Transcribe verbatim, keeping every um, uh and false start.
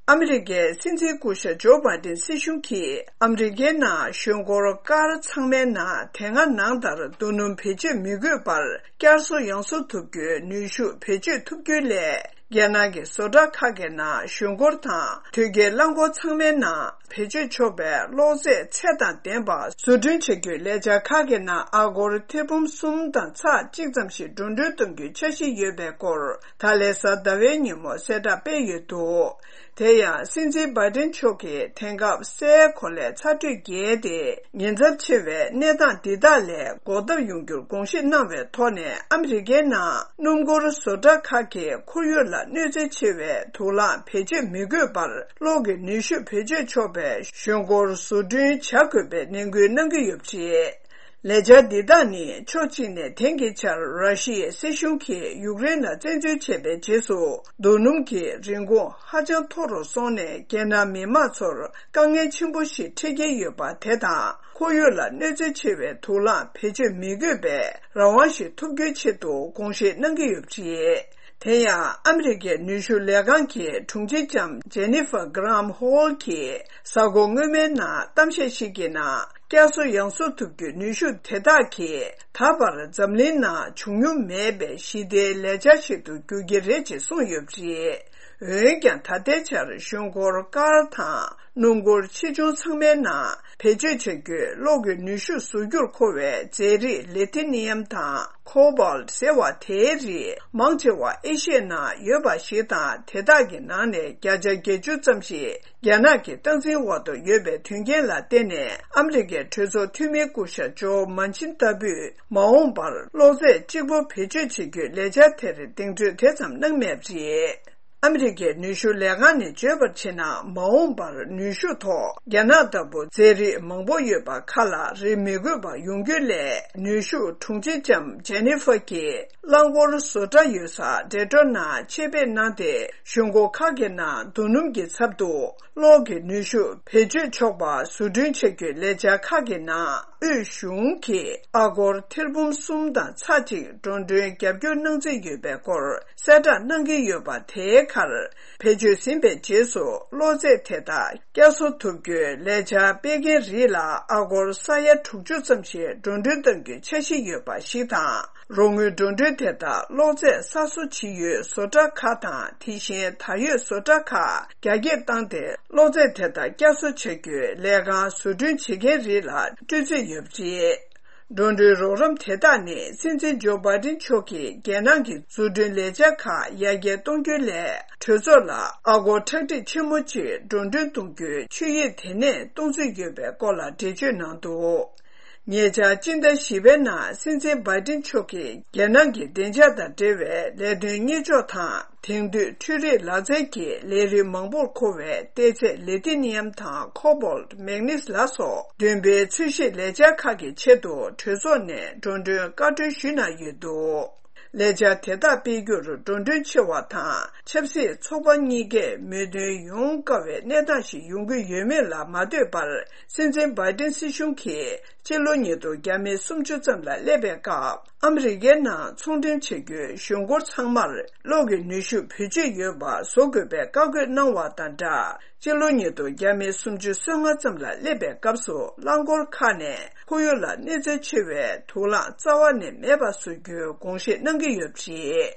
ཨ་མི་རི་ཀའི་སྲིད་འཛིན་སྐུ་ཞབས་ཇོ་བྷའི་ཏིན་སྲིད་གཞུང་གིས་ཨ་མི་རི་ཀའི་ནང་གཞུང་སྒོར་ཀར་ཚང་མའི་ནང་དེ་སྔ་ནང་ལྟར་རྡོ་སྣུམ་བེད་སྤྱོད་མི་དགོས་པར་བསྐྱར་གསོ་ཡང་གསོ་ཐུབ་རྒྱུའི་ནུས་ཤུགས་བེད་སྤྱོད་ཐུབ་རྒྱུའི་སླད། རྒྱལ་ནང་གི་བཟོ་གྲྭ་ཁག་གི་ནང་གཞུང་སྒོར་དང་དུས་ཀའི་རླངས་འཁོར་ཚང་མའི་ནང་བེད་སྤྱོད་ཆོག་པའི་གློག་རྫས་ཚད་དང་ལྡན་པ་བཟོ་སྐྲུན་བྱ་རྒྱུའི་ལས་འཆར་ཁག་གི་ནང་ཨ་སྒོར་ཐེར་འབུམ་གསུམ་དང་ཚེག་གཅིག་ཙམ་ཞིག་འགྲོ་གྲོན་གཏོང་རྒྱུའི་འཆར་གཞི་ཡོད་པའི་སྐོར། ད་ལན་གཟའ་ཟླ་བའི་ཉིན་མོ་གསལ་བསྒྲགས་སྤེལ་ཡོད་འདུག་དེ་ཡང་སྲིད་འཛིན་བྷའི་ཏིན་མཆོག་གིས་དེང་སྐབས་སའི་གོ་ལའི་ཚ་དྲོད་རྒྱས་ཏེ། ཉེན་ཚབས་ཆེ་བའི་གནས་སྟངས་འདི་དག་ལས་འགོག་ཐབས་ཡོང་རྒྱུར་དགོངས་བཞེས་གནང་བའི་ཐོག་ནས། ཨ་མི་རི་ཀའི་ནང་སྣུམ་འཁོར་བཟོ་གྲྭ་ཁག་གིས་ཁོར་ཡུག་ལ་གནོད་འཚེ་ཆེ་བའི་དུག་རླངས་བེད་སྤྱོད་མི་དགོས་པར་གློག་གི་ནུས་ཤུགས་བེད་སྤྱོད་ཆོག་པའི་གཞུང་སྒོར་བཟོ་སྐྲུན་བྱ་དགོས་པའི་ནན་སྐུལ་གནང་གི་ཡོད་པ་རེད། ལས་འཆར་འདི་དག་ནི་ཕྱོགས་གཅིག་ནས་དེང་གི་ཆར་ར་ཤི་ཡའི་སྲིད་གཞུང་གིས་ཡུཀ་རེན་ལ་བཙན་འཛུལ་བྱས་པའི་རྗེས་སུ། རྡོ་སྣུམ་གྱི་རིན་གོང་ཧ་ཅང་མཐོ་རུ་སོང་ནས། རྒྱལ་ནང་མི་མང་ཚོར་དཀའ་ངལ་ཆེན་པོ་ཞིག་འཕྲད་ཀྱི་ཡོད་པ་དེ་དང་། ཁོར་ཡུག་ལ་གནོད་འཚེ་ཆེ་བའི་དུག་རླངས་བེད་སྤྱོད་མི་དགོས་པའི་རང་དབང་ཞིག་ཐོབ་རྒྱུའི་ཆེད་དུ་དགོངས་བཞེས་གནང་གི་ཡོད་པ་རེད། དེ་ཡང་ཨ་མི་རི་ཀའི་ནུས་ཤུགས་ལས་ཁང་གི་དྲུང་ཆེ་ལྕམ་ཇེ་ནི་ཧྥར་གྷ་རམ་ཧོལ་གྱིས་གཟའ་འཁོར་སྔོན་མའི་ནང་གཏམ་བཤད་ཞིག་གི་ནང་། བསྐྱར་གསོ་ཡང་གསོ་ཐུབ་རྒྱུའི་ནུས་ཤུགས་དེ་དག་གིས་ད་བར་འཛམ་གླིང་ནང་བྱུང་མྱོང་མེད་པའི་ཞི་བདེའི་ལས་འཆར་ཞིག་ཏུ་འགྱུར་གྱི་རེད་ཅེས་གསུངས་ཡོད་པ་རེད། འོན་ཀྱང་། ད་ལྟའི་ཆར་གཞུང་སྒོར་ཀར་དང་སྣུམ་འཁོར་ཆེ་ཆུང་ཚང་མའི་ནང་བེད་སྤྱོད་བྱ་རྒྱུའི་གློག་གི་ནུས་ཤུགས་བཟོ་རྒྱུར་མཁོ་བའི་རྫས་རིགས་ལི་ཐི་ནི་ཡམ་དང་ཁོ་བཱལ་ཟེར་བ་དེའི་རིགས་མང་ཆེ་བ་ཨེ་ཤི་ཡའི་ནང་ཡོད་པ་ཞིག་དང་། དེ་དག་གི་ནང་ནས་བརྒྱ་ཆ་བརྒྱད་ཅུ་ཙམ་ཞིག་རྒྱ་ནག་གི་སྟངས་འཛིན་འོག་ཏུ་ཡོད་པའི་དོན་རྐྱེན་ལ་བརྟེན་ནས། ཨ་མི་རི་ཀའི་གྲོས་ཚོགས་འཐུས་མི་སྐུ་ཞབས་ཇོ་མན་ཆིན་ལྟ་བུས་མ་འོངས་པར་གློག་རྫས་གཅིག་པོ་བེད་སྤྱོད་བྱེད་རྒྱུའི་ལས་འཆར་དེར་གདེང་ཚོད་དེ་ཙམ་གནང་མེད་པ་རེད། ཨ་མི་རི་ཀའི་ནུས་ཤུགས་ལས་ཁང་ནས་བརྗོད་པར་བྱས་ན། མ་འོངས་པར་ནུས་ཤུགས་ཐོག་རྒྱ་ནག་ལྟ་བུ་རྫས་རིགས་མང་པོ་ཡོད་པ་ཁག་ལ་རེ་མི་དགོས་པ་ཡོང་རྒྱུའི་སླད། ནུས་ཤུགས་དྲུང་ཆེ་ལྕམ་ཇེ་ནི་ཧྥར་གྱིས། རླངས་འཁོར་བཟོ་གྲྭ་ཡོད་ས་ཌེ་ཏྲོ་ནང་ཆེད་ཕེབས་གནང་སྟེ། གཞུང་སྒོ་ཁག་གི་ནང་རྡོ་སྣུམ་གྱི་ཚབ་ཏུ་གློག་གི་ནུས་ཤུགས་བེད་སྤྱོད་ཆོག་པ་བཟོ་སྐྲུན་བྱ་རྒྱུའི་ལས་འཆར་ཁག་གི་ནང་། དབུས་གཞུང་གིས་ཨ་སྒོར་ཐེར་འབུམ་གསུམ་དང་ཚེག་གཅིག་འགྲོ་གྲོན་རྒྱབ་སྐྱོར་གནང་རྩིས་ཡོད་པའི་སྐོར་གསལ་བསྒྲགས་གནང་གི་ཡོད་པ། དེའི་ཁར། བེད་སྤྱོད་ཟིན་པའི་རྗེས་སུ་གློག་རྫས་དེ་དག་བསྐྱར་གསོ་ཐུབ་རྒྱུའི་ལས་འཆར་སྤེལ་མཁན་རིགས་ལ་ཨ་སྒོར་ས་ཡ་དྲུག་ཅུ་ཙམ་ཞིག་འགྲོ་གྲོན་གཏང་རྒྱུའི་འཆར་གཞི་ཡོད་པ་ཞིག་དང་། རོགས་དངུལ་འགྲོ་གྲོན་དེ་དག་གློག་རྫས་གསར་བཟོ་བྱེད་ཡུལ་བཟོ་གྲྭ་ཁག་དང་། དེ་བཞིན་ད་ཡོད་བཟོ་གྲྭ་ཁག་རྒྱ་སྐྱེད་བཏང་སྟེ། གློག་རྫས་དེ་དག་བསྐྱར་གསོ་བྱ་རྒྱུའི་ལས་ཁང་བཟོ་སྐྲུན་བྱེད་མཁན་རིགས་ལ་སྤྲོད་རྩིས་ཡོད་པ་རེད། འགྲོ་གྲོན་རོགས་རམ་དེ་དག་ནི་སྲིད་འཛིན་ཇོ་བྷའི་ཏིན་མཆོག་གིས་རྒྱལ་ནང་གི་བཟོ་སྐྲུན་ལས་འཆར་ཁག་ཡར་རྒྱས་གཏོང་རྒྱུའི་སླད། གྲོས་ཚོགས་ལ་ཨ་སྒོར་ཁྲག་ཁྲིག་ཆེན་མོ་གཅིག་འགྲོ་གྲོན་གཏོང་རྒྱུའི་ཆོད་ཡིག་དེ་ནས་གཏོང་རྩིས་ཡོད་པའི་སྐོར་ལ་འགྲེལ་བརྗོད་གནང་འདུག་ཉེ་ཆར་སྤྱི་ཟླ་བཞི་པའི་ནང་སྲིད་འཛིན་བྷའི་ཏིན་མཆོག་གིས་རྒྱལ་ནང་གི་བདེ་འཇགས་དང་འབྲེལ་བའི་ལས་དོན་གཉེར་ཕྱོགས་དང་། དེང་དུས་འཕྲུལ་རིག་ལག་རྩལ་གྱི་ལས་རིགས་མང་པོར་མཁོ་བའི་གཏེར་རྫས་ལི་ཐི་ནི་ཡམ་དང་ཁོ་བཱལ་ཊི། མེག་ནིས་ལ་སོགས་བདུན་པའི་ཚོས་གཞི་ལས་འཆར་ཁག་གི་ཆེད་དུ་གྲོས་ཚོགས་ནས་འགྲོ་གྲོན་བཀའ་འཁྲོལ་ཞུས་གནང་ཡོད་འདུག་ལས་འཆར་དེ་དག་སྤེལ་རྒྱུར་འགྲོ་གྲོན་ཆེ་བ་དང་། ཆབ་སྲིད་ཚོགས་པ་གཉིས་ཀས་མོས་མཐུན་ཡོང་དཀའ་བའི་གནས་སྟངས་ཤིག་ཡོང་གི་ཡོད་མེད་ལ་མ་ལྟོས་པར། སྲིད་འཛིན་བྷའི་ཏིན་སྲིད་གཞུང་གིས་སྤྱི་ལོ་ཉིས་སྟོང་བརྒྱ་མེད་སུམ་ཅུ་ཙམ་ལ་སླེབས་པའི་སྐབས། ཨ་མི་རི་ཀའི་ནང་ཚོང་འབྲེལ་བྱེད་རྒྱུའི་གཞུང་སྒོར་ཚང་མར་གློག་གི་ནུས་ཤུགས་བེད་སྤྱོད་ཡོད་པ་བཟོ་དགོས་པའི་བཀའ་བཀོད་གནང་བ་དང་སྦྲགས། སྤྱི་ལོ་ཉིས་སྟོང་བརྒྱ་མེད་སུམ་ཅུ་སོ་ལྔ་ཙམ་ལ་སླེབས་པའི་སྐབས་སུ། རླངས་འཁོར་ཁག་ནས་ཁོར་ཡུག་ལ་གནོད་འཚེ་ཆེ་བའི་དུག་རླངས་རྩ་བ་ནས་མེད་པ་བཟོ་རྒྱུའི་དགོངས་བཞེས་གནང་གི་ཡོད་པ་རེད།